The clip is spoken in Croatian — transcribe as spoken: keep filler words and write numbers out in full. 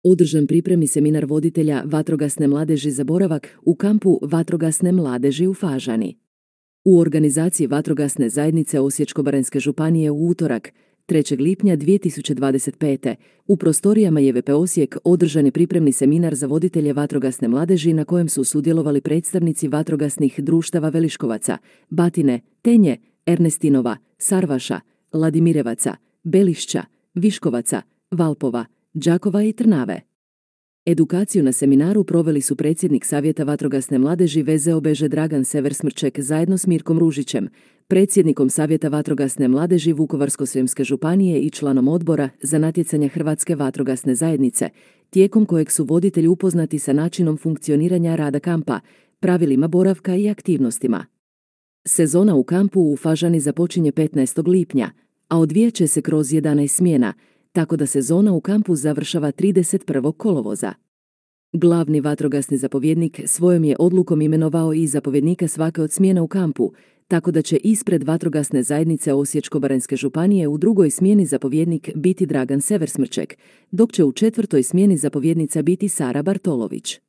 Održan pripremni seminar voditelja vatrogasne mladeži za boravak u kampu vatrogasne mladeži u Fažani. U organizaciji vatrogasne zajednice Osječko-baranjske županije u utorak, trećeg lipnja dvije tisuće dvadeset pete. u prostorijama J V P Osijek održan je pripremni seminar za voditelje vatrogasne mladeži na kojem su sudjelovali predstavnici vatrogasnih društava Veliškovaca, Batine, Tenje, Ernestinova, Sarvaša, Ladimirevaca, Belišća, Viškovaca, Valpova, Đakova i Trnave. Edukaciju na seminaru proveli su predsjednik Savjeta vatrogasne mladeži V Z O B Ž Dragan Sever-Smrček zajedno s Mirkom Ružićem, predsjednikom Savjeta vatrogasne mladeži Vukovarsko-srijemske županije i članom odbora za natjecanja Hrvatske vatrogasne zajednice, tijekom kojeg su voditelji upoznati sa načinom funkcioniranja rada kampa, pravilima boravka i aktivnostima. Sezona u kampu u Fažani započinje petnaestog lipnja, a odvijat će se kroz jedanaest smjena, tako da sezona u kampu završava trideset prvog kolovoza. Glavni vatrogasni zapovjednik svojom je odlukom imenovao i zapovjednika svake od smjena u kampu, tako da će ispred vatrogasne zajednice Osječko-baranjske županije u drugoj smjeni zapovjednik biti Dragan Sever-Smrček, dok će u četvrtoj smjeni zapovjednica biti Sara Bartolović.